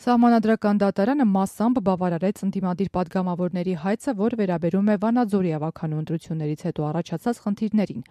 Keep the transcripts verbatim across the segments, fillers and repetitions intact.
Սահմանադրական դատարանը մասամբ բավարարեց ընդդիմադիր պատգամավորների հայցը, որ վերաբերում է Վանաձորի ավագանու ընտրություններից հետո առաջացած խնդիրներին։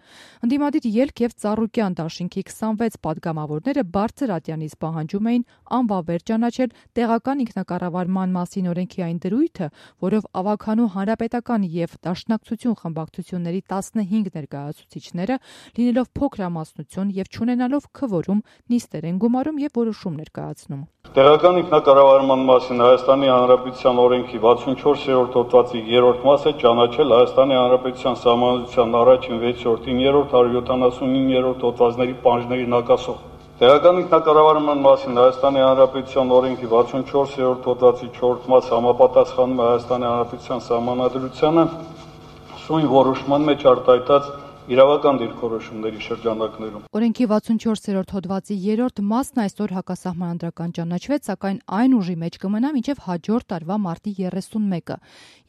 Ընդդիմադիր ելք եւ Ծառուկյան դաշինքի քսանվեց պատգամավորները բարձր ատյանից պահանջում էին անվավեր ճանաչել տեղական ինքնակառավարման մասին օրենքի այն դրույթը, որով ավագանու հանրապետական եւ դաշնակցություն խմբակցությունների տասնհինգ ներկայացուցիչները, լինելով փոքրամասնություն եւ չունենալով քվորում, նիստեր են գումարում եւ որոշում ներկայացնում։ Տեղական ինքնակառավարման մասին Հայաստանի Հանրապետության օրենքի վաթսունչորսերորդ հոդվածի երրորդ մասը ճանաչել Հայաստանի Հանրապետության Սահմանադրության առաջին, վեցերորդ, իններորդ, հարյուր յոթանասունիններորդ հոդվածների պահանջների հակասող։ Տեղական ինքնակառավարման մասին Հայաստանի Հանրապետության օրենքի վաթսունչորսերորդ հոդվածի չորրորդ մասը համապատասխանում է Հայաստանի Հանրապետության Սահմանադրությանը սույն որոշման մեջ արտահայտած իրավական դիրքորոշումների շրջանակներում։ Օրենքի վաթսունչորսերորդ հոդվածի երրորդ մասն այսօր հակասահմանադրական ճանաչվեց, սակայն այն ուժի մեջ կմնա մինչև հաջորդ տարվա մարտի երեսունմեկը։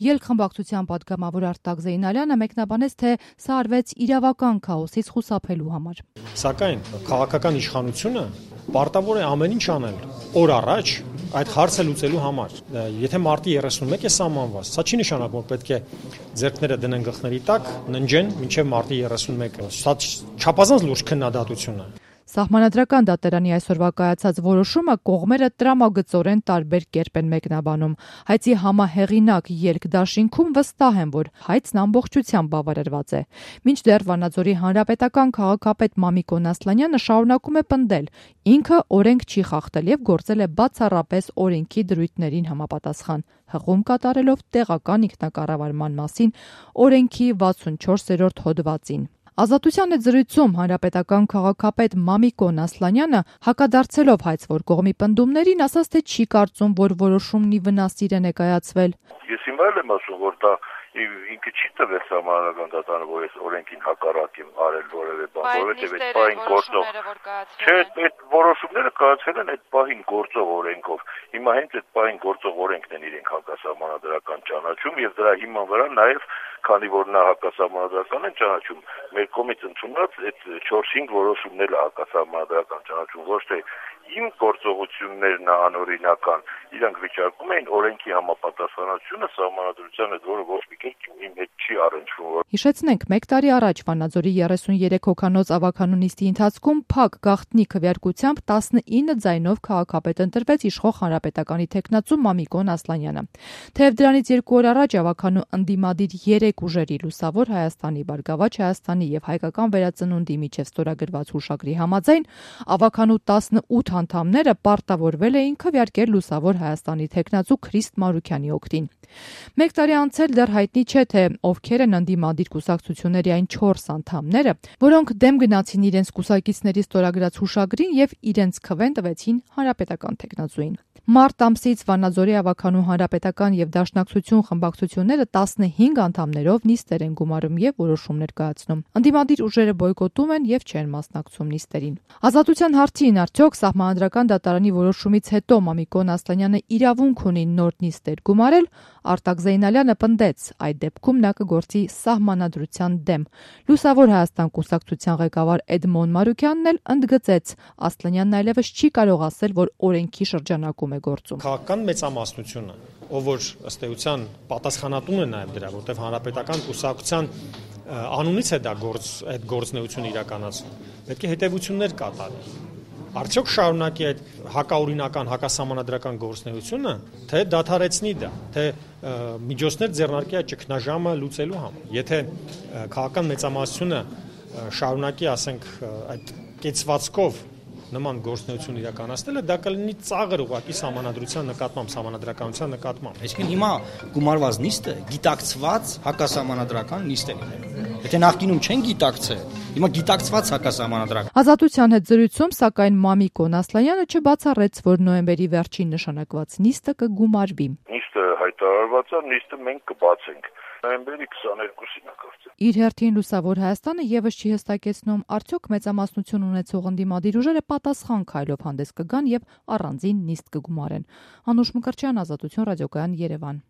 Ելք խմբակցության պատգամավոր Արտակ Զեյնալյանը մեկնաբանեց, թե սա արվեց իրավական քաոսից խուսափելու համար։ Սակայն քաղաքական իշխանությունը պարտավոր է ամեն ինչ անել օր առաջ այդ հարցը լուծելու համար։ Եթե մարտի երեսունմեկը է սահմանված, սա չի նշանակում, որ պետք է ձեռքները դնեն գլխների տակ, ննջեն մինչև մարտի երեսունմեկը։ Սա չափազանց լուրջ քննադատություն է։ Սահմանադրական դատարանի այսօրվա կայացած որոշումը կողմերը տրամագծորեն տարբեր կերպ են մեկնաբանում։ Հայցի համահեղինակ ելք դաշինքում վստահ են, որ հայցն ամբողջությամբ բավարարված է։ Մինչդեռ Վանաձորի հանրապետական քաղաքապետ Մամիկոն Ասլանյանը շարունակում է պնդել, ինքը օրենք չի խախտել եւ գործել է բացառապես օրենքի դրույթներին համապատասխան, հղում կատարելով տեղական ինքնակառավարման մասին օրենքի վաթսունչորսերորդ հոդվածին։ Ազատության հետ զրույցում հանրապետական քաղաքապետ Մամիկոն Ասլանյանը հակադարձելով հայցվոր կողմի պնդումներին ասաց, թե չի կարծում, որ որոշումն ի վնասիր է ներկայացվել։ Ես հիմա էլ եմ ասում, որ դա ինքը չի տվել սահմանադրական դատարանը, որ ես օրենքին հակառակ եմ արել որևէ բան, որովհետև այդ պահին գործող չէ, այդ որոշումները կայացել են այդ պահին գործող օրենքով։ Հիմա հենց այդ պահին գործող օրենքն են իրենք հակասահմանադրական ճանաչում եւ դրա հիման վրա նաեւ քանի որ նա հակասահմանադրական են ճանաչում, մեր կողմից ընդունած այդ չորս-հինգ որոշումներ հակասահմանադրական ճանաչում, ոչ թե իմ գործողություններն անօրինական, իրանք վիճակում էին օրենքի համապատասխանությունը սահմանադրության հետ, որը ոչ մի կերպ իմ հետ չի առնչվում։ Հիշեցնենք, մեկ տարի առաջ Վանաձորի երեսուներեք հոգանոց ավագանու նիստի ընթացքում փակ գաղտնի քվեարկությամբ տասնինը ձայնով քաղաքապետ ընտրվեց իշխող հանրապետականի թեկնածու Մամիկոն Ասլանյանը։ Թեև դրանից երկու օր առաջ ավագանու ընդդիմադիր երեք ուժերի Լուսավոր Հայաստանի, Բարգավաճ Հայաստանի եւ Հայկական վերածնունդի միջև ստորագրված հուշագրի համաձայն ավագանու տասնութ անդամները պարտավորվել էին քվեարկել Լուսավոր Հայաստանի թեկնածու Քրիստ Մարուքյանի օգտին։ Մեկ տարի անցել դեռ հայտնի չէ, թե ովքեր են ընդդիմադիր կուսակցությունների այն չորս անդամները, որոնք դեմ գնացին իրենց կուսակիցների ստորագրած հուշագրին եւ իրենց քվեն տվեցին հանրապետական թեկնածուին։ Մարտ ամսից Վանաձորի ավագանու հանրապետական եւ դաշնակցություն խմբակցությունները տասնհինգ անդամներով նիստեր են գումարում եւ որոշումներ կայացնում։ Ընդդիմադիր ուժերը բոյկոտում են եւ չեն մասնակցում նիստերին։ Ազատության հարցին արդյոք սահմանադրական դատարանի որոշումից հետո Մամիկոն Ասլանյանը իրավունք ունի նոր նիստեր գումարել, Արտակ Զեյնալյանը պնդեց, այդ դեպքում նա կգործի սահմանադրության դեմ։ Լուսավոր Հայաստան կուսակցության ղեկավար Էդմոն Մարուքյանն էլ ընդգծեց, Ասլանյանն այլևս չի կարող ասել, որ օրենքի շրջանակում է գործում։ Քաղաքական մեծամասնությունը, ով որ ըստ էության պատասխանատուն է նաև դրա, որտեղ հանրապետական կուսակցության անունից է դա գործ, այդ գործունեությունը իրականացնում, պետք է հետևություններ կատարի։ Արդյոք շարունակի այդ հակաօրինական, հակասահմանադրական գործունեությունը, թե դադարեցնի դա, թե միջոցներ ձեռնարկի այդ ճգնաժամը լուծելու համար։ Եթե քաղաքական մեծամասնությունը շարունակի, ասենք, այդ կեցվածքով նման գործունեություն իրականացնելը, դա կլինի ծաղր ուղղակի սահմանադրության նկատմամբ, սահմանադրականության նկատմամբ։ Այսինքն հիմա գումարված նիստը գիտակցված հակասահմանադրական նիստ է լինելու։ Եթե նախկինում չեն գիտակցել, հիմա գիտակցված հակասահմանադրական։ Ազատության հետ զրույցում, սակայն Մամիկոն Ասլանյանը չբացառեց, որ նոյեմբերի վերջին նշանակված նիստը կգումարվի։ Նիստը հայտարարված է, նիստը մենք կբացենք նոյեմբերի քսաներկուսին ակրծել։ Իր հերթին Լուսավոր Հայաստանը եւս չի հստակեցնում, արդյոք մեծամասնություն ունեցող ընդդիմադիր ուժերը պատասխան քայլով հանդես կգան եւ առանձին նիստ կգումարեն։ Անուշ Մկրտչյան, Ազատություն ռադիոկայան, Երևան։